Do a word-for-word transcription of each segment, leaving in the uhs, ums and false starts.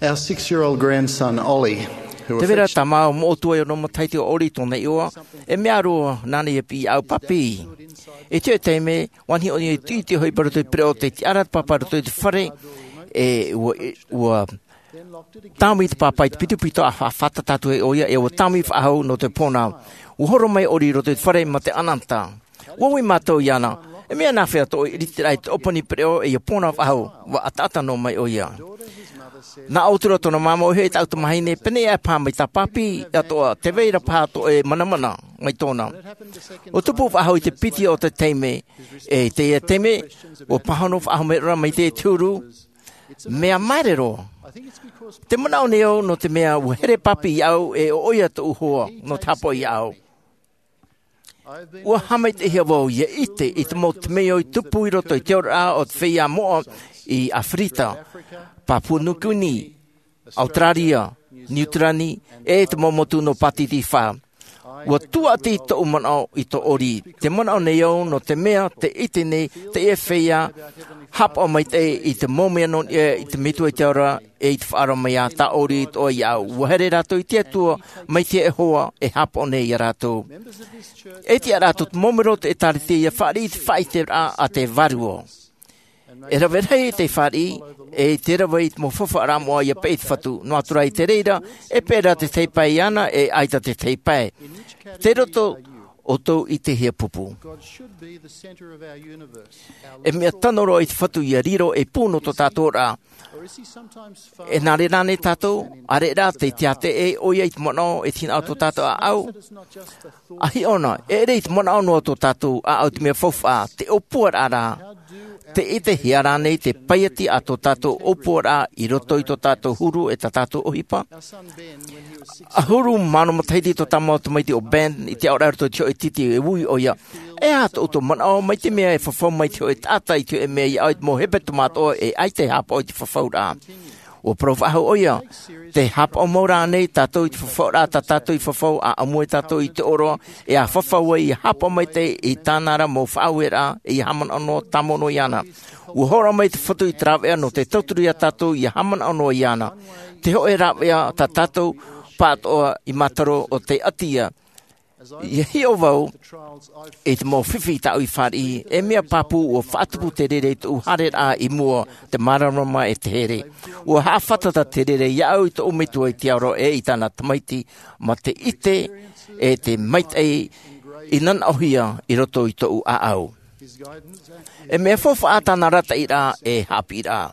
Our six-year-old grandson, Ollie, who Te vera affection- tā māua moʻotua e ono matahiti o Oli tōna iʻoa, e mea roa nāna ia piʻi au papi. E te taime, ua niʻo i te iti hoʻi i roto i te pereʻoʻo te tiʻaraʻa te pāpā i roto i te fare, e ua, ua tāmau i te pāpā i te pitopito a fa-, fātata atu e ʻoia, e ua tāmau faʻahou nō te pōnā. Ua horo mai Oli i roto i te fare ma te ʻanata. Ua ui mātou iāna, e mea nāfea tō ʻoe ʻiritiraʻa i te ʻōpani pereʻoʻo e ia pōnā faʻahou, ua ʻataʻata noa mai ʻoia. Nā ʻōtura tōna māmā ʻoia e taʻu tamahine, pēnei aʻe paha mai tā papi, atoʻa, tē vai ra paha tō ʻoe manamana, mai tōna. Ua tupu faʻahou i te piti o te taime, e i teie taime, ua pāhono faʻahou mai ra mai te huru, mea maere roa. Te manaʻo nei au nō te mea ua here papi iāʻu e ʻo ʻoia tōʻu hoa, nō te hāpaʻo iāʻu. Ua haʻamaitaʻihia vau ia ʻite i te mau temeio i tupu i roto i te oraraʻa o te feiā moʻa i Aferika, Papua Nukini, Auteraria, Niu Tirani, e te mau motu nō Pātitifa. Ua tuaʻati tōʻu manaʻo i tō Oli. Te manaʻo nei au nō te mea tē ʻite nei teie feiā, hāpaʻo maitaʻi i te mau mea nō niʻa i te Metua i te ao ra, e i te faʻaroʻo mai a tā Oli atoʻa iāʻu. Ua here rātou i te Atua, mai te Iehova, e hāpaʻo nei ia rātou. E tiʻa rātou te mau mero o te ʻĒtārētia ia fāriʻi i te faʻaʻiteraʻa a te Vārua. E rave rahi te fāriʻi, e te rave i te mau faufaʻa moʻa ia peʻe i te Fatu. Noa atu rā i te reira, e peʻe ra te tahi pae iāna, e ʻaita te tahi pae. Tei roto ʻoutou i te hia pupu. E mea tano roa i te Fatu ia riro ei pū nō tō tātou oraraʻa. E nā reira nei tātou, ʻaore rā tē tiaʻi ʻoia i te manaʻo e te hinaʻaro tō tātou ʻāʻau. ʻA hiʻo na, e ʻere i te manaʻo noa tō tātou ʻāʻau te mea faufaʻa, te ʻōpuaraʻa rā. Tē ʻitehia rānei te paiati a tō tātou ʻōpuaraʻa i roto i tō tātou huru e tā tātou ʻohipa? ʻAhuru mā ono matahiti tō tā māua tamaiti ʻo Ben, i te aʻoraʻa i roto i te hōʻē titi e ui ʻoia. E aha tō ʻoutou manaʻo mai te mea e fafau mai te hōʻē taʻata i te hōʻē mea i aʻo i te mau hepetoma atoʻa e ʻaita e hāpaʻo i te fafauraʻa? Ua parau faʻahou ʻoia, tē hāpaʻo mau ra ānei tātou i te fafauraʻa tā tātou i fafau, ʻa ʻamui tātou i te ʻōroʻa, e ʻa fafau ai ia hāpaʻo maitaʻi i tāna ra mau faʻaueraʻa, e ia haʻamanaʻo noa tāmau noa iāna. Ua hōroʻa mai te Fatu i te rāveʻa nō te tauturu ia tātou ia haʻamanaʻo noa iāna. Te hōʻē rāveʻa tā tātou pāʻatoʻa i mātaro ʻo tei ʻati ia. Ia hiʻo vau i te mau fifi tāʻu i fāriʻi, e mea pāpū ua faʻatupu te reira i tōʻu haereraʻa i mua, te māramarama e te here. Ua haʻafātata te reira iāʻu i tōʻu Metua i te ao ra e i tāna Tamaiti, ma te ʻite, e te maitaʻi i nanaʻohia i roto i tōʻu ʻāʻau. E mea faufaʻa tāna arataʻiraʻa e haʻapiʻiraʻa.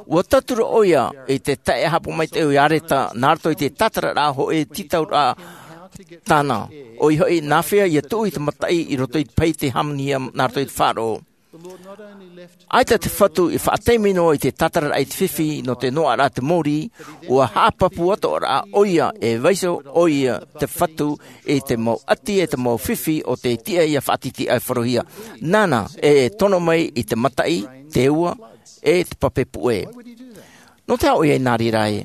Ua tauturu ʻoia i te taʻe hāpaʻo maitaʻi o Iareta, nā roto i te tātararaʻa hōʻē tītauraʻa tāna. ʻOia hoʻi, nāfea ia tuʻu i te mataʻi i roto i te pahi tei hāmanihia nā roto i te faʻaroʻo. ʻAita te Fatu i faʻataime noa i te tātararaʻa i te fifi nō te noaʻaraʻa te mōrī, ua haʻapāpū atoʻa rā ʻoia e vaiiho ʻoia te Fatu i te mau ʻati e te mau fifi o te tiʻa ia faʻatitiʻaiforohia. Nāna e tono mai i te mataʻi, te ua, e te pape puʻe. Nō te aha ʻoia i nā reira ai?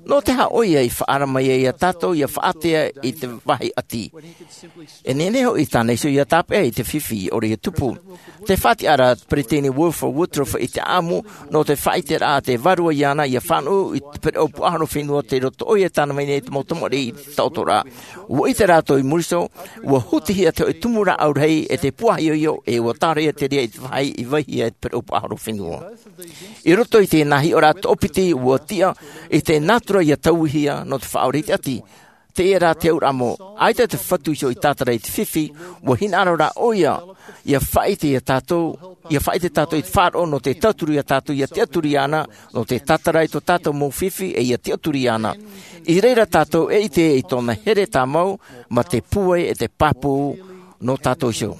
Nō te aha ʻoia i faʻaara mai ai ia tātou ia faʻaātea i te vāhi ʻati? E nehenehe hoʻi tāna iho ia tāpeʻa i te fifi i ʻore ia tupu. Tē faʻatiʻa ra te Peresideni Wilford Woodruff i te ʻāʻamu nō te faʻaʻiteraʻa a te Vārua iāna ia fānaʻo i te pereʻoʻo puaʻahoro fenua tei roto ʻoia tāna mai nei te mau tamariʻi i te taʻotoraʻa. Ua ʻite rātou i muri iho, ua hutihia te hōʻē tumu rāʻau rahi e te puaʻahiohio e ua tāraʻehia te reira i te vāhi i vaihia e te pereʻoʻo puaʻahoro fenua. I roto i te nā hiʻoraʻa toʻopiti ua tiʻa i te nātura ia tauihia nō te faʻaora i te ʻati. Teie rā te auraʻa mau, ʻaita te Fatu iho i tātara i te fifi, ua hinaʻaro rā ʻoia, ia faʻaʻite ia tātou, ia faʻaʻite tātou i te faʻaroʻo nō te tauturu ia tātou, ia tiʻaturi iāna, nō te tātara i tō tātou mau fifi e ia tiʻaturi iāna. I reira tātou e ʻite i tōna here tāmau, ma te pūai e te pāpū nō tātou iho.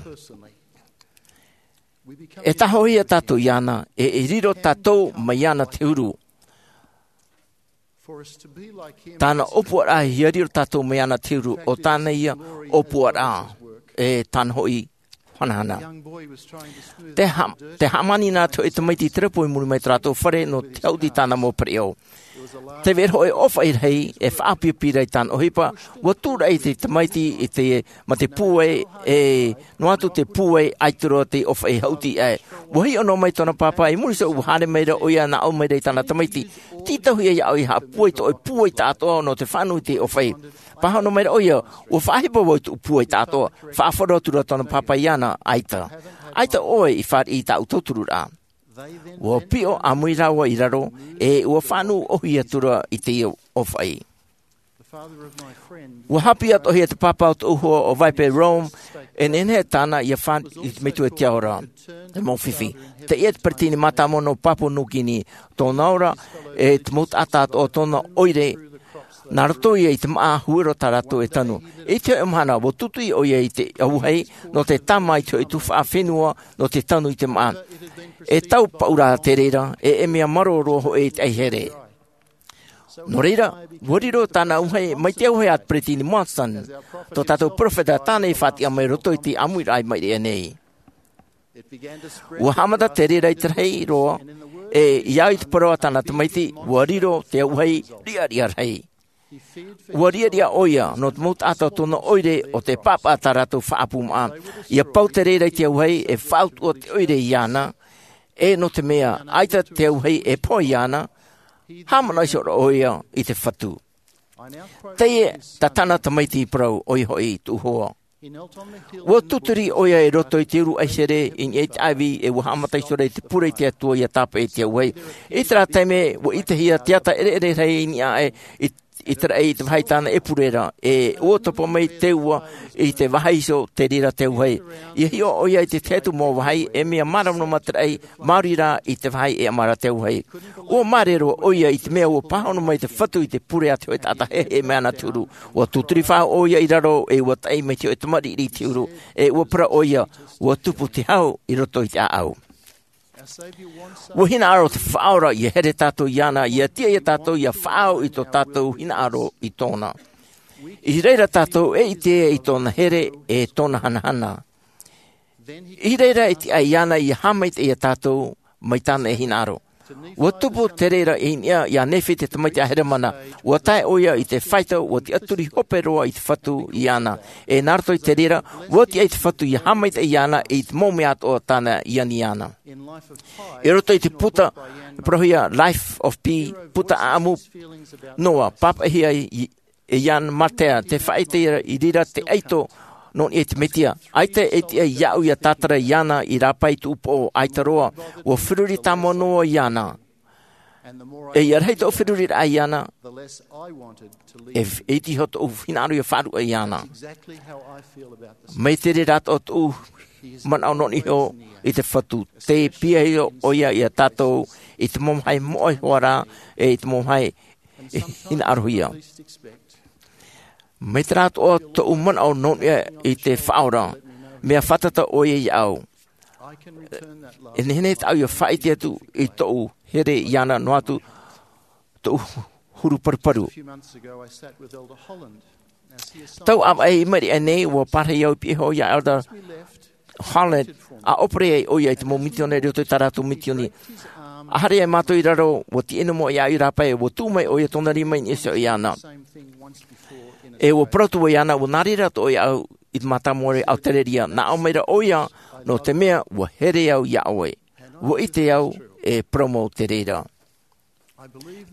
E tahohia tātou iāna, e, e riro tātou mai iāna te huru. Tāna ʻōpuaraʻa ia riro tātou mai iāna te huru, ʻo tāna ia ʻōpuaraʻa, e tāna hoʻi hanahana. Te ha-, te hāmani nā te hōʻē tamaiti i te repo i muri mai tō rātou fare nō te haʻuti i tāna mau pereʻoʻo. Te vero hoʻi ʻofaʻi rahi e faʻapiʻapiʻa i tāna ʻohipa, ua tūraʻi te tamaiti i te, ma te pūai, e noa atu te pūai ʻaita roa te ʻofaʻi haʻuti aʻe. Ua hiʻo noa mai tōna pāpā i muri iho, ua haere mai ra ʻoia nā ʻō mai ra i tāna tamaiti, tītauhia iāʻu i haʻapūai tō ʻoe pūai taʻatoʻa nō te fānau i te ʻofaʻi. Pāhono mai ra ʻoia, ua faʻaʻohipa vau i tōʻu pūai taʻatoʻa. Faʻaʻite atu ra tōna pāpā iāna, ʻaita. ʻAita ʻoe i fāriʻi i tāʻu tautururaʻa. Ua piʻo ʻāmui rāua i raro, e ua fānau ʻohi atu ra i te ʻofaʻi. Ua haʻapiʻi atoʻa hia te pāpā o tōʻu hoa ʻo Vaipe Rome, e nehenehe tāna ia fāriʻi i te metua i te ao ra. Te mau fifi. Teie te peretiteni mātāmua nō Papua Nūkini, tōna ora, e te mau taʻata atoʻa o tōna ʻoire, nā roto ia i te māʻa huero tā rātou e tanu. I te hoʻi mahana, ua tūturi ʻoia i te auahi, nō te tāmā i te hoʻi tuhaʻa fenua, nō te tanu i te māʻa. E tau paʻu rā te reira, e, e mea marō roa hoʻi i te ʻaihere. Nō reira, ua riro tāna auahi, mai te auahi a te peretiteni Monson, tō tātou peropheta tāna i faʻatiʻa mai roto i te ʻāmuiraʻa i maʻiri aʻe nei. Ua haʻamata te reira i te rahi roa, e, i au i te parau a tāna tamaiti, ua riro te auahi riʻariʻa rahi. Ua riʻariʻa ʻoia, nō te mau taʻata o tōna ʻoire ʻo te pāpā tā rātou faʻaʻapu māʻa. Ia pau te reira i te auahi, e faʻautuʻa te ʻoire iāna, e nō te mea, ʻaita te auahi e pohe iāna, haʻamanaʻo iho ra ʻoia i te Fatu. Teie, tā tāna tamaiti i parau, ʻoia hoʻi tōʻu hoa. Ua tūturi ʻoia i roto i te uru ʻaihere i niʻa i te ʻāivi, e ua haʻamata iho ra i te pure i te Atua ia tāpeʻa i te auahi. I terā taime, ua ʻitehia te ata ʻereʻere rahi i niʻa aʻe i, i te raʻi i te vāhi tāna e pure ra, e ua topa mai te ua i te vāhi iho te reira te auahi. Ia hiʻo ʻoia i te tahi atu mau vāhi, e mea māramarama te raʻi, maori rā i te vāhi e ʻama ra te auahi. Ua māere roa ʻoia i te mea ua pāhono mai te Fatu i te pure a te hōʻē taʻata heheʻe mai ana te huru. Ua tūturi faʻahou ʻoia i raro, e ua taʻi mai te hōʻē tamariʻi i te huru, e ua parau ʻoia, ua tupu te hau i roto i te ʻāʻau. Ua hinaʻaro te Faʻaora ia here tātou iāna, ia tiʻa ia tātou ia faʻaau i tō tātou hinaʻaro i tōna. I reira tātou e ʻite i tōna here, e tōna hanahana. I reira e tiʻa iāna ia haʻamaitaʻi ia tātou, mai tāna e hinaʻaro. Ua tupu te reira i niʻa iā Nephi te tamaiti a Heremana, ua tae ʻoia i te fāito, ua tiʻaturi hope roa i te Fatu iāna. E nā roto i te reira, ua tiʻa i te Fatu ia haʻamaitaʻi iāna i te mau mea atoʻa tāna i ani iāna. I roto i te puta, parauhia Life of Pi, puta ʻāʻamu, noa, pāpaʻihia i, e Jan Martel, te faʻaʻite i reira te ʻaito, nō niʻa i te Mesia. ʻAita e tiʻa iāʻu ia tātara iāna i rāpae i tōʻu upoʻo, ʻaita roa, ua feruri tāmau noa iāna. E ia rahi tōʻu feruriraʻa iāna, e, e iti iho tōʻu hinaʻaro ia faʻaruʻe iāna. Mai te reira atoʻa tōʻu manaʻo nō niʻa iho i te Fatu. Tē piahi ʻoia ia tātou i te mau vāhi moʻa hoʻi rā, e i te mau vāhi e hinaʻarohia. Mai terā atoʻa tōʻu manaʻo nō niʻa i te Faʻaora, mea fātata ʻoia iāʻu. E nehenehe tāʻu ia faʻaʻite atu i tōʻu here iāna noa atu tōʻu huru paruparu. Tau ʻāvaʻe i maʻiri aʻe nei, ua pārahi au i pihaʻi iho ia Elder Holland, ʻa ʻōpere ai ʻoia i te mau misiōnare i roto i tā rātou misiōni. ʻA haere ai mātou i raro, ua tīaʻi noa mai iāʻu i rāpae, ua tuʻu mai ʻoia tōna rima i niʻa iho iāna. E ua parau atu vau iāna, ua nā reira atoʻa iāʻu i te mātāmua ra i ʻAutereria, nā ʻō mai ra ʻoia, nō te mea, ua here au iā ʻoe. Ua ʻite au, e parau mau te reira.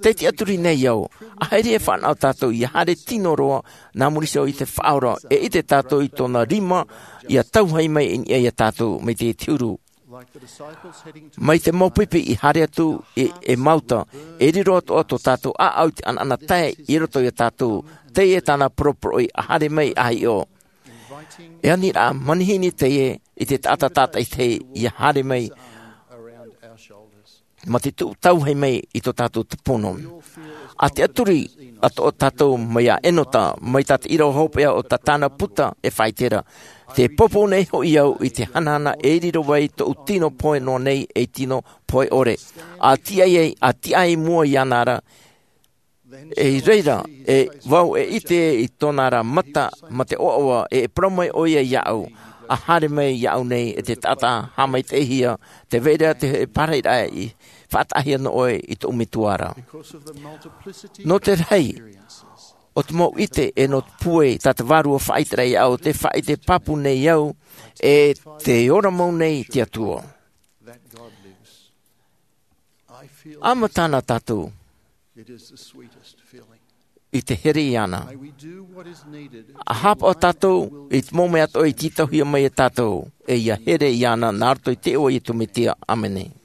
Tē tiʻaturi nei au, ʻaita e fānaʻo tātou ia haere tino roa, nā muri iho i te Faʻaora, e ʻite tātou i tōna rima, ia tauhei mai i niʻa ia tātou, mai te huru. Mai te mau pipi i haere atu, e, e Emauta, e riro atoʻa tō tātou ʻāʻau i te ʻanaʻanatae, i roto ia tātou, teie tāna poroporoʻi ʻa haere mai ʻa hiʻo. E aniraʻa manihini teie i te taʻata tātaʻitahi ia haere mai, mā te tuʻu tauhei mai i tō tātou tupuno. ʻA tiʻaturi atoʻa tātou mai iā Enota, mai tā te ʻīrava hopeʻa o tā tāna puta e faʻaʻite ra. Tē poupou nei hoʻi au i te hanahana e riro ai tōʻu tino pohe noa nei ei tino pohe ʻore. ʻA tiʻa ai, ʻa tiʻa i mua iāna ra, e i reira, e vau e ʻite i tōna ra mata, mā te ʻoaʻoa, e parau mai ʻoia iāʻu, ʻa haere mai iāʻu nei e te taʻata haʻamaitaʻihia, tē vai ra te pārahiraʻa i faʻataʻahia nō ʻoe i tōʻu metua ra. Nō te rahi o te mau ʻite e nō te pūai tā te vārua faʻaʻite ra iāʻu, te faʻaʻite pāpū nei au e te ora mau nei te Atua. ʻAma tāna tātou i te here iāna. ʻA haʻapaʻo tātou i te mau mea atoʻa i tītauhia mai e tātou, e ia here iāna nā roto i te iʻoa o iesu mesia, ʻāmene.